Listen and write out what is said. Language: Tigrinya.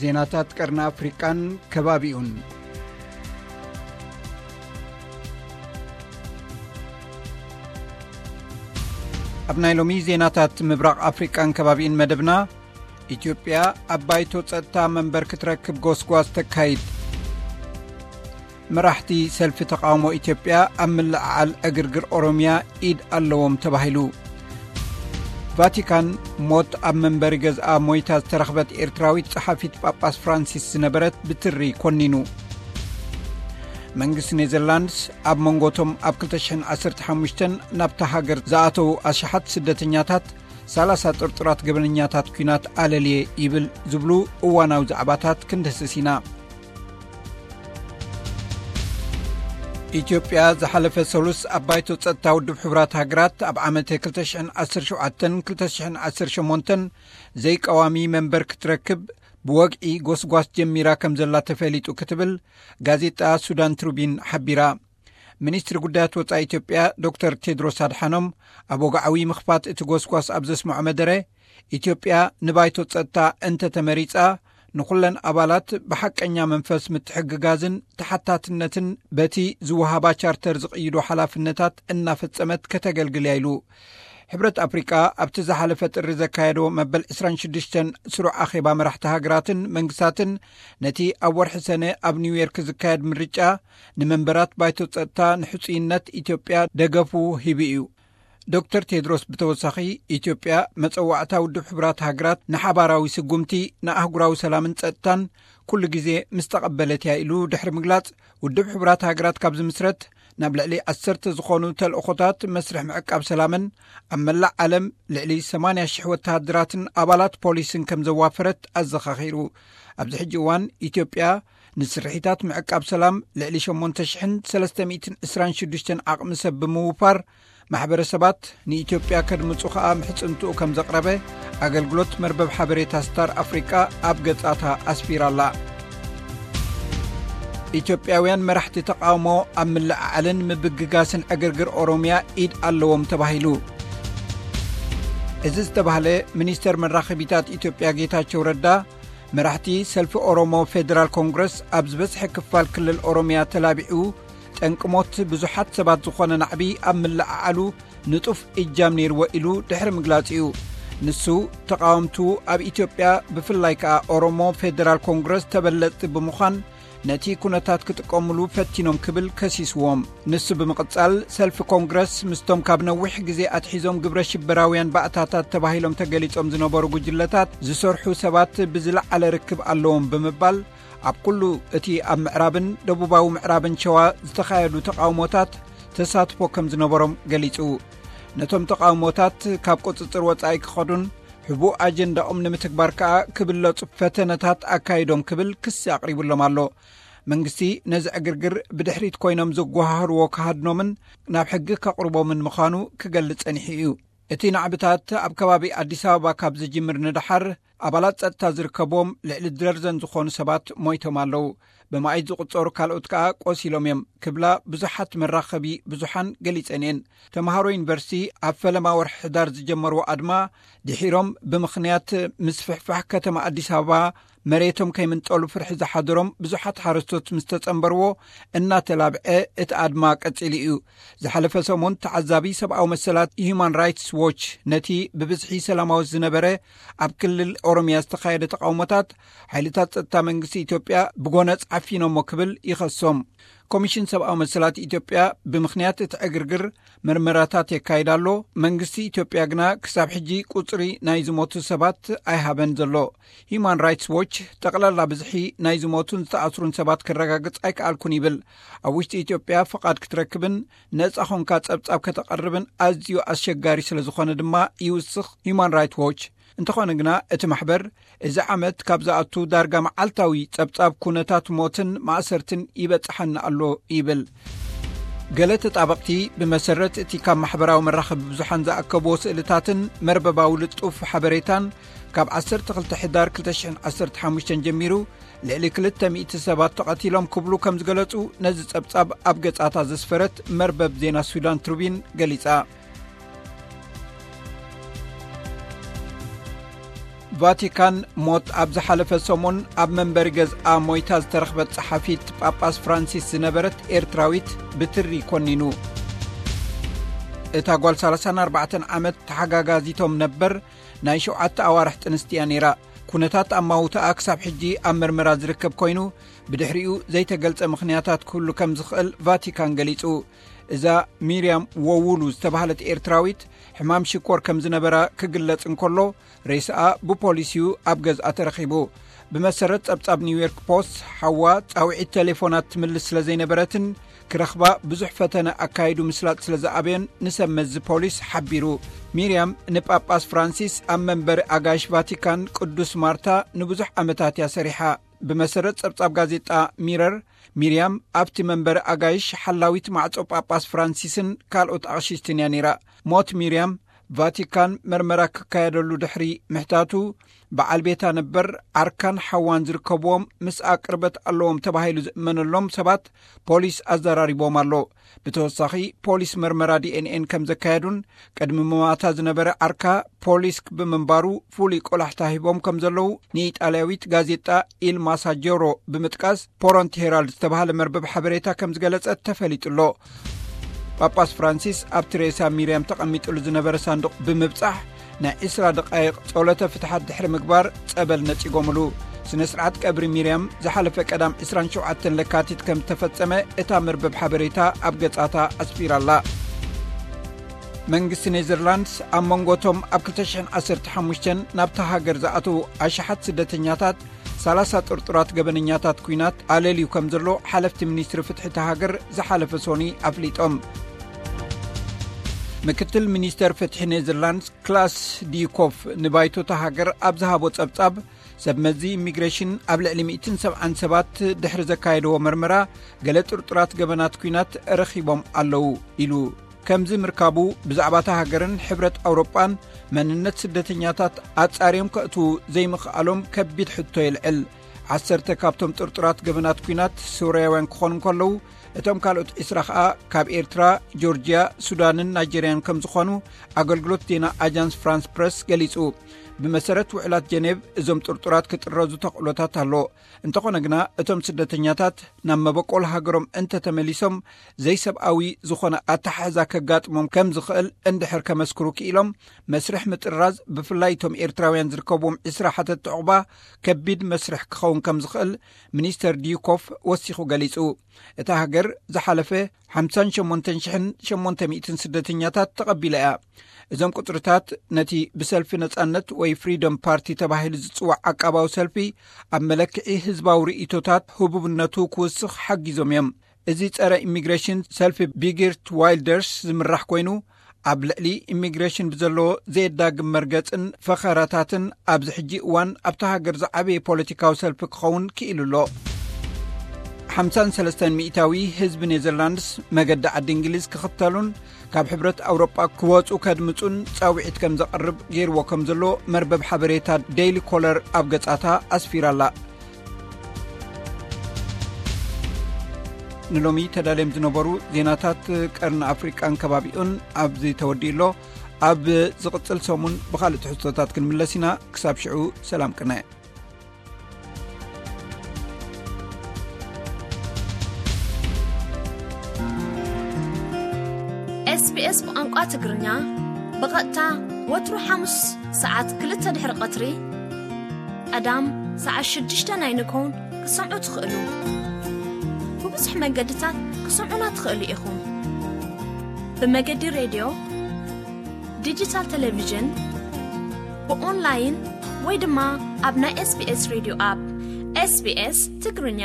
ዜናታት ቀርኒ ኣፍሪቃን ከባቢኡን። ኣብ ናይ ሎሚ ዜናታት ምብራቕ ኣፍሪቃን ከባቢኡን መደብና፣ ኢትዮጵያ ኣብ ባይቶ ጸጥታ መንበር ክትረክብ ጎስጓስ ተካይድ። መራሕቲ ሰልፊ ተቃውሞ ኢትዮጵያ ኣብ ምልዕዓል ዕግርግር ኦሮሚያ ኢድ ኣለዎም ተባሂሉ። ቫቲካን፣ ሞት ኣብ መንበሪ ገዝኣ ሞይታ ዝተረኽበት ኤርትራዊት ጸሓፊት ጳጳስ ፍራንሲስ ዝነበረት ብትሪ ኮኒኑ። መንግስቲ ኔዘርላንድስ ኣብ መንጎቶም ኣብ ክልተ ሽሕን ዓሰርተ ሓሙሽተን ናብታ ሃገር ዝኣተዉ ኣሽሓት ስደተኛታት፣ ሰላሳ ጥርጡራት ገበነኛታት ኲናት ኣለልየ ይብል ዝብሉ እዋናዊ ዛዕባታት ክንድህስስ ኢና። ኢትዮጵያ ዝሓለፈ ሰሉስ ኣብ ባይቶ ጸጥታ ውድብ ሕቡራት ሃገራት ኣብ ዓመተ ክልተ ሽሕን ዓሰርተ ሸውዓተን ክልተ ሽሕን ዓሰርተ ሸሞንተን ዘይቀዋሚ መንበር ክትረክብ ብወግዒ ጎስጓስ ጀሚራ ከም ዘላ ተፈሊጡ ክትብል ጋዜጣ ሱዳን ትሩቢን ሓቢራ። ሚኒስትሪ ጉዳያት ወጻኢ ኢትዮጵያ ዶክተር ቴድሮስ ኣድሓኖም፣ ኣብ ወግዓዊ ምኽፋት እቲ ጎስጓስ ኣብ ዘስምዖ መደረ፣ ኢትዮጵያ ንባይቶ ጸጥታ እንተተመሪጻ፣ ንኹለን ኣባላት ብሓቀኛ መንፈስ ምትሕግጋዝን ተሓታትነትን በቲ ዝወሃባ ቻርተር ዝቕይዶ ሓላፍነታት እናፈጸመት ከተገልግል እያ ኢሉ። ሕብረት ኣፍሪቃ ኣብቲ ዝሓለፈ ጥሪ ዘካየዶ መበል ዕስራን ሽዱሽተን ስሩዕ ኣኼባ መራሕቲ ሃገራትን መንግስታትን፣ ነቲ ኣብ ወርሒ ሰነ ኣብ ኒውዮርክ ዝካየድ ምርጫ፣ ንመንበራት ባይቶ ጸጥታ ንሕጹይነት ኢትዮጵያ ደገፉ ሂቡ እዩ። ዶክተር ቴድሮስ ብተወሳኺ፣ ኢትዮጵያ መጸዋዕታ ውድብ ሕቡራት ሃገራት ንሓባራዊ ስጉምቲ ንኣህጉራዊ ሰላምን ጸጥታን ኩሉ ግዜ ምስ ተቐበለት እያ ኢሉ ድሕሪ ምግላጽ፣ ውድብ ሕቡራት ሃገራት ካብ ዝምስረት ናብ ልዕሊ ዓሰርተ ዝኾኑ ተልእኾታት መስርሕ ምዕቃብ ሰላምን ኣብ መላእ ዓለም ልዕሊ ሰማንያ ሽሕ ወተሃደራትን ኣባላት ፖሊስን ከም ዘዋፈረት ኣዘኻኺሩ። ኣብዚ ሕጂ እዋን ኢትዮጵያ ንስርሒታት ምዕቃብ ሰላም ልዕሊ ሸሞንተ ሽሕን ሰለስተ ሚእትን ዕስራን ሽዱሽተን ዓቕሚ ሰብ ብምውፋር፣ ማሕበረሰባት ንኢትዮጵያ ከድምጹ ከኣ ምሕጽንትኡ ከም ዘቕረበ ኣገልግሎት መርበብ ሓበሬታ ስታር ኣፍሪቃ ኣብ ገጻታ ኣስፊራ'ላ። ኢትዮጵያውያን መራሕቲ ተቃውሞ ኣብ ምልዕዓልን ምብግጋስን ዕግርግር ኦሮሚያ ኢድ ኣለዎም ተባሂሉ። እዚ ዝተባህለ፣ ሚኒስተር መራኸቢታት ኢትዮጵያ ጌታቸው ረዳ፣ መራሕቲ ሰልፊ ኦሮሞ ፌደራል ኮንግረስ ኣብ ዝበዝሐ ክፋል ክልል ኦሮሚያ ተላቢዑ፣ ጠንቂ ሞት ብዙሓት ሰባት ዝኾነ ናዕቢ ኣብ ምልዕዓሉ ንጡፍ እጃም ነይርዎ ኢሉ ድሕሪ ምግላጽ እዩ። ንሱ፣ ተቓወምቱ ኣብ ኢትዮጵያ፣ ብፍላይ ከኣ ኦሮሞ ፌደራል ኮንግረስ ተበለጽቲ ብምዃን፣ ነቲ ኩነታት ክጥቀምሉ ፈቲኖም ክብል ከሲስዎም። ንሱ ብምቕጻል፣ ሰልፊ ኮንግረስ ምስቶም ካብ ነዊሕ ግዜ ኣትሒዞም ግብረ ሽበራውያን ባእታታት ተባሂሎም ተገሊጾም ዝነበሩ ጉጅለታት ዝሰርሑ ሰባት ብዝለዓለ ርክብ ኣለዎም ብምባል፣ ኣብ ኩሉ እቲ ኣብ ምዕራብን ደቡባዊ ምዕራብን ሸዋ ዝተኻየዱ ተቓውሞታት ተሳትፎ ከም ዝነበሮም ገሊጹ። ነቶም ተቓውሞታት ካብ ቁጽጽር ወጻኢ ክኸዱን ሕቡእ ኣጀንዳኦም ንምትግባር ከኣ ክብለጹ ፈተነታት ኣካይዶም ክብል ክሲ ኣቕሪቡሎም ኣሎ። መንግስቲ ነዚ ዕግርግር ብድሕሪት ኮይኖም ዝጓሃህርዎ ክሃድኖምን ናብ ሕጊ ከቕርቦምን ምዃኑ ክገልጽ ጸኒሑ እዩ። እቲ ናዕብታት ኣብ ከባቢ ኣዲስ ኣበባ ካብ ዝጅምር ንደሓር፣ ኣባላት ጸጥታ ዝርከብዎም ልዕሊ ድረርዘን ዝኾኑ ሰባት ሞይቶም ኣለዉ። ብመኣይት ዝቑጸሩ ካልኦት ከኣ ቆሲሎም እዮም ክብላ ብዙሓት መራኸቢ ብዙሓን ገሊጸን እየን። ተምሃሮ ዩኒቨርሲቲ ኣብ ፈለማ ወርሒ ሕዳር ዝጀመርዎ ኣድማ ድሒሮም፣ ብምኽንያት ምስፍሕፋሕ ከተማ ኣዲስ ኣበባ መሬቶም ከይምንጠሉ ፍርሒ ዝሓደሮም ብዙሓት ሓረስቶት ምስ ተጸንበርዎ እናተላብዐ እቲ ኣድማ ቀጺሉ እዩ። ዝሓለፈ ሰሙን ተዓዛቢ ሰብኣዊ መሰላት ሂዩማን ራይትስ ዎች ነቲ ብብዝሒ ሰላማዊ ዝነበረ ኣብ ክልል ኦሮሚያ ዝተኻየደ ተቃውሞታት ሓይልታት ጸጥታ መንግስቲ ኢትዮጵያ ብጎነጽ ዓፊኖሞ ክብል ይኸሶም። ኮሚሽን ሰብኣዊ መሰላት ኢትዮጵያ ብምኽንያት እቲ ዕግርግር መርመራታት የካይድ ኣሎ። መንግስቲ ኢትዮጵያ ግና ክሳብ ሕጂ ቁጽሪ ናይ ዝሞቱ ሰባት ኣይሃበን ዘሎ። ሂዩማን ራይትስ ዎች፣ ጠቕላላ ብዝሒ ናይ ዝሞቱን ዝተኣስሩን ሰባት ክረጋግጽ ኣይከኣልኩን ይብል። ኣብ ውሽጢ ኢትዮጵያ ፍቓድ ክትረክብን ነጻ ኾንካ ጸብጻብ ከተቐርብን ኣዝዩ ኣስቸጋሪ ስለ ዝኾነ ድማ ይውስኽ ሂዩማን ራይትስ ዎች። እንተኾነ ግና እቲ ማሕበር፣ እዚ ዓመት ካብ ዝኣቱ ዳርጋ መዓልታዊ ጸብጻብ ኩነታት ሞትን ማእሰርትን ይበጽሓና ኣሎ ይብል። ገለ ተጣበቕቲ፣ ብመሰረት እቲ ካብ ማሕበራዊ መራኸቢ ብዙሓን ዝኣከብዎ ስእልታትን መርበባዊ ልጡፍ ሓበሬታን፣ ካብ ዓሰርተ ክልተ ሕዳር ክልተ ሽሕን ዓሰርተ ሓሙሽተን ጀሚሩ ልዕሊ ክልተ ሚእቲ ሰባት ተቐቲሎም ክብሉ ከም ዝገለጹ ነዚ ጸብጻብ ኣብ ገጻታ ዘስፈረት መርበብ ዜና ሱዳን ትሩቢን ገሊጻ። ቫቲካን ሞት ኣብ ዝሓለፈ ሰሙን ኣብ መንበሪ ገዝኣ ሞይታ ዝተረኽበት ጸሓፊት ጳጳስ ፍራንሲስ ዝነበረት ኤርትራዊት ብትሪ ኮኒኑ። እታ ጓል ሰላሳን ኣርባዕተን ዓመት ተሓጋጋዚቶም ነበር ናይ ሸውዓተ ኣዋርሕ ጥንስቲ እያ ነይራ። ኩነታት ኣማውታኣ ክሳብ ሕጂ ኣብ መርመራ ዝርከብ ኮይኑ፣ ብድሕሪኡ ዘይተገልጸ ምኽንያታት ክህሉ ከም ዝኽእል ቫቲካን ገሊጹ። እዛ ሚርያም ወውሉ ዝተባህለት ኤርትራዊት ሕማም ሽኮር ከም ዝነበራ ክግለጽ እንከሎ፣ ሬስኣ ብፖሊስ እዩ ኣብ ገዝኣ ተረኺቡ። ብመሰረት ጸብጻብ ኒውዮርክ ፖስት፣ ሓዋ ጻውዒት ቴሌፎናት ትምልስ ስለ ዘይነበረትን ክረኽባ ብዙሕ ፈተነ ኣካይዱ ምስላጥ ስለ ዝኣበዮን ንሰብ መዚ ፖሊስ ሓቢሩ። ሚርያም ንጳጳስ ፍራንሲስ ኣብ መንበሪ ኣጋይሽ ቫቲካን ቅዱስ ማርታ ንብዙሕ ዓመታት እያ ሰሪሓ። ብመሰረት ጸብጻብ ጋዜጣ ሚረር፣ ሚርያም ኣብቲ መንበሪ ኣጋይሽ ሓላዊት ማዕጾ ጳጳስ ፍራንሲስን ካልኦት ኣቕሽሽትን እያ ነይራ። ሞት ሚርያም ቫቲካን መርመራ ክካየደሉ ድሕሪ ምሕታቱ፣ በዓል ቤታ ነበር ዓርካን ሓዋን ዝርከብዎም ምስኣ ቅርበት ኣለዎም ተባሂሉ ዝእመነሎም ሰባት ፖሊስ ኣዘራሪቦም ኣሎ። ብተወሳኺ፣ ፖሊስ መርመራ ዲኤንኤን ከም ዘካየዱን ቅድሚ ምማታ ዝነበረ ዓርካ ፖሊስ ብምንባሩ ፍሉይ ቆላሕታ ሂቦም ከም ዘለዉ ንኢጣልያዊት ጋዜጣ ኢል ማሳጀሮ ብምጥቃስ ፖሮንቲ ሄራልድ ዝተባህለ መርበብ ሓበሬታ ከም ዝገለጸት ተፈሊጡ ኣሎ። ጳጳስ ፍራንሲስ ኣብቲ ሬሳ ሚርያም ተቐሚጥሉ ዝነበረ ሳንዱቕ ብምብጻሕ ናይ ዕስራ ደቓይቕ ጸሎተ ፍትሓት ድሕሪ ምግባር ጸበል ነጺጎምሉ። ስነ ስርዓት ቀብሪ ሚርያም ዝሓለፈ ቀዳም ዕስራን ሸውዓተን ለካቲት ከም ዝተፈጸመ እታ መርበብ ሓበሬታ ኣብ ገጻታ ኣስፊራላ። መንግስቲ ኔዘርላንድስ ኣብ መንጎቶም ኣብ ክልተ ሽሕን ዓሰርተ ሓሙሽተን ናብታ ሃገር ዝኣተዉ ኣሽሓት ስደተኛታት ሰላሳ ጥርጡራት ገበነኛታት ኲናት ኣለልዩ ከም ዘሎ ሓለፍቲ ሚኒስትሪ ፍትሒ እታ ሃገር ዝሓለፈ ሶኒ ኣፍሊጦም። ምክትል ሚኒስተር ፍትሒ ኔዘርላንድስ ክላስ ዲኮፍ ንባይቶ እታ ሃገር ኣብ ዝሃቦ ጸብጻብ፣ ሰብ መዚ ኢሚግሬሽን ኣብ ልዕሊ ሚእትን ሰብዓን ሰባት ድሕሪ ዘካየድዎ መርመራ፣ ገለ ጥርጡራት ገበናት ኲናት ረኺቦም ኣለዉ ኢሉ። ከምዚ ምርካቡ፣ ብዛዕባ እታ ሃገርን ሕብረት ኣውሮጳን መንነት ስደተኛታት ኣጻርዮም ከእትዉ ዘይምኽኣሎም ከቢድ ሕቶ የልዕል። ዓሰርተ ካብቶም ጥርጡራት ገበናት ኲናት ሶርያውያን ክኾኑ እንከለዉ፣ እቶም ካልኦት ዕስራ ኸኣ ካብ ኤርትራ፣ ጆርጅያ፣ ሱዳንን ናይጀርያን ከም ዝኾኑ ኣገልግሎት ዜና ኣጃንስ ፍራንስ ፕረስ ገሊጹ። ብመሰረት ውዕላት ጀኔቭ፣ እዞም ጥርጡራት ክጥረዙ ተኽእሎታት ኣሎ። እንተኾነ ግና፣ እቶም ስደተኛታት ናብ መበቆል ሃገሮም እንተተመሊሶም፣ ዘይሰብኣዊ ዝኾነ ኣተሓሕዛ ከጋጥሞም ከም ዝኽእል እንድሕር ከመስክሩ ክኢሎም፣ መስርሕ ምጥራዝ፣ ብፍላይ እቶም ኤርትራውያን ዝርከብዎም ዕስራ ሓተትቲ ዕቑባ፣ ከቢድ መስርሕ ክኸውን ከም ዝኽእል ሚኒስተር ዲዩኮፍ ወሲኹ ገሊጹ። እታ ሃገር ዝሓለፈ ሓምሳን ሸሞንተን ሽሕን ሸሞንተ ሚእትን ስደተኛታት ተቐቢላ እያ። እዞም ቁጽርታት ነቲ ብሰልፊ ነጻነት ወይ ፍሪደም ፓርቲ ተባሂሉ ዝጽዋዕ ዓቃባዊ ሰልፊ ኣብ መለክዒ ህዝባዊ ርእይቶታት ህቡብነቱ ክውስኽ ሓጊዞም እዮም። እዚ ጸረ ኢሚግሬሽን ሰልፊ ቢጊርት ዋይልደርስ ዝምራሕ ኮይኑ፣ ኣብ ልዕሊ ኢሚግሬሽን ብዘለዎ ዘየዳግም መርገጽን ፈኸራታትን ኣብዚ ሕጂ እዋን ኣብታ ሃገር ዝዓበየ ፖለቲካዊ ሰልፊ ክኸውን ክኢሉ ኣሎ። ሓምሳን ሰለስተን ሚእታዊ ህዝቢ ኔዘርላንድስ መገዲ ዓዲ እንግሊዝ ክኽተሉን ካብ ሕብረት ኣውሮጳ ክወጹ ከድምጹን ጻውዒት ከም ዘቕርብ ገይርዎ ከም ዘሎ መርበብ ሓበሬታ ዴይሊ ኮለር ኣብ ገጻታ ኣስፊራላ። ንሎሚ ተዳልዮም ዝነበሩ ዜናታት ቀርኒ ኣፍሪቃን ከባቢኡን ኣብዚ ተወዲኡ ኣሎ። ኣብ ዝቕጽል ሰሙን ብኻልእ ትሕዝቶታት ክንምለስ ኢና። ክሳብ ሽዑ ሰላም ቅነ። ኤስቢኤስ ብቋንቋ ትግርኛ ብቐጥታ ወትሩ ሓሙስ ሰዓት ክልተ ድሕሪ ቀትሪ፣ ቀዳም ሰዓት ሽዱሽተ ናይ ንግሆን ክሰምዑ ትኽእሉ። ብብዙሕ መገድታት ክሰምዑና ትኽእሉ ኢኹም። ብመገዲ ሬድዮ፣ ዲጂታል ቴሌቪዥን፣ ብኦንላይን ወይ ድማ ኣብ ናይ ኤስቢኤስ ሬድዮ ኣፕ። ኤስቢኤስ ትግርኛ።